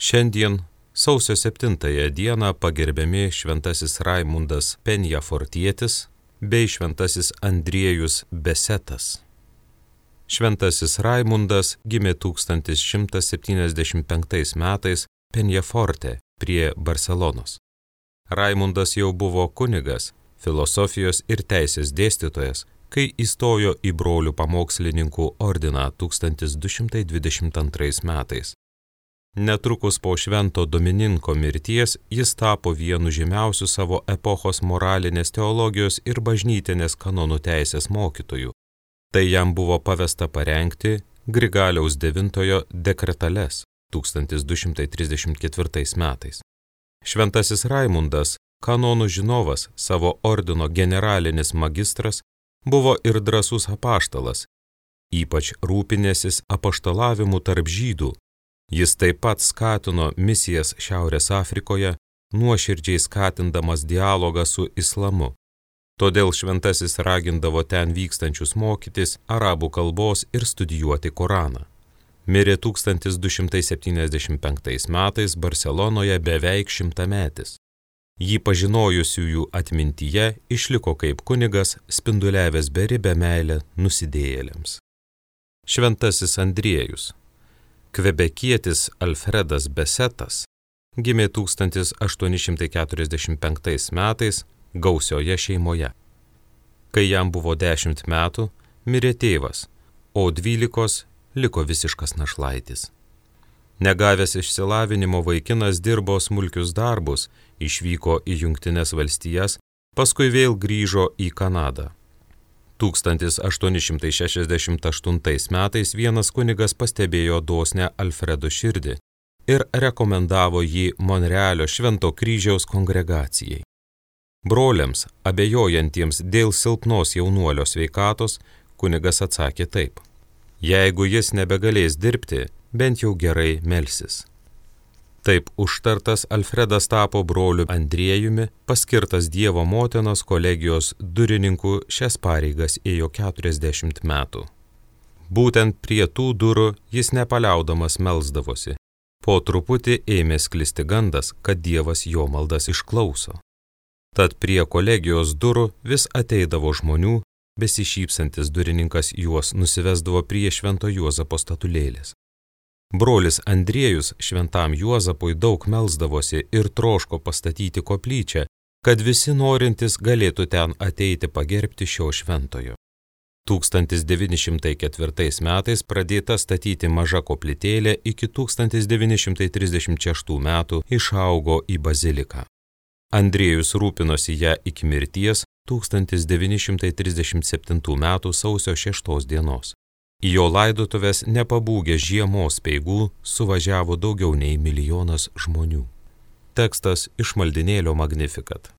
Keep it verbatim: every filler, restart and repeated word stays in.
Šiandien, sausio septintąją dieną, pagerbiami šventasis Raimundas Penjafortietis bei šventasis Andriejus Besetas. Šventasis Raimundas gimė tūkstantis šimtas septyniasdešimt penktais metais Penjaforte prie Barselonos. Raimundas jau buvo kunigas, filosofijos ir teisės dėstytojas, kai įstojo į brolių pamokslininkų ordiną tūkstantis du šimtai dvidešimt antrais metais. Netrukus po švento Domininko mirties jis tapo vienu žymiausių savo epochos moralinės teologijos ir bažnytinės kanonų teisės mokytojų. Tai jam buvo pavesta parengti Grigaliaus devintojo dekretales tūkstantis du šimtai trisdešimt ketvirtais metais. Šventasis Raimundas, kanonų žinovas, savo ordino generalinis magistras, buvo ir drąsus apaštalas, ypač rūpinęsis apaštalavimu tarp žydų. Jis taip pat skatino misijas Šiaurės Afrikoje, nuoširdžiai skatindamas dialogą su islamu. Todėl šventasis ragindavo ten vykstančius mokytis arabų kalbos ir studijuoti Koraną. Mirė tūkstantis du šimtai septyniasdešimt penktais metais Barselonoje beveik šimtametis. Jį pažinojusiųjų atmintyje išliko kaip kunigas, spinduliavęs beribę meilę nusidėjėliams. Šventasis Andriejus. Kvebekietis Alfredas Besetas gimė tūkstantis aštuoni šimtai keturiasdešimt penktais metais gausioje šeimoje. Kai jam buvo dešimt metų, mirė tėvas, o dvylikos liko visiškas našlaitis. Negavęs išsilavinimo vaikinas dirbo smulkius darbus, išvyko į Jungtines valstijas, paskui vėl grįžo į Kanadą. tūkstantis aštuoni šimtai šešiasdešimt aštuntais metais vienas kunigas pastebėjo dosnią Alfredo širdį ir rekomendavo jį Monrealio Švento kryžiaus kongregacijai. Broliams, abejojantiems dėl silpnos jaunuolio sveikatos, kunigas atsakė taip: jeigu jis nebegalės dirbti, bent jau gerai melsis. Taip užtartas Alfredas tapo broliu Andriejumi, paskirtas Dievo motinos kolegijos durininku, šias pareigas ėjo keturiasdešimt metų. Būtent prie tų durų jis nepaliaudamas melsdavosi. Po truputį ėmė sklisti gandas, kad Dievas jo maldas išklauso. Tad prie kolegijos durų vis ateidavo žmonių, besišypsantis durininkas juos nusivesdavo prie Švento Juozapo statulėlės. Brolis Andriejus šventam Juozapui daug melsdavosi ir troško pastatyti koplyčią, kad visi norintys galėtų ten ateiti pagerbti šio šventojo. tūkstantis devyni šimtai ketvirtais metais pradėta statyti maža koplytėlė, iki tūkstantis devyni šimtai trisdešimt šeštų metų išaugo į baziliką. Andriejus rūpinosi ją iki mirties tūkstantis devyni šimtai trisdešimt septintų metų sausio šeštos dienos. Į jo laidotuves nepabūgę žiemos speigų suvažiavo daugiau nei milijonas žmonių. Tekstas iš maldinėlio Magnificat.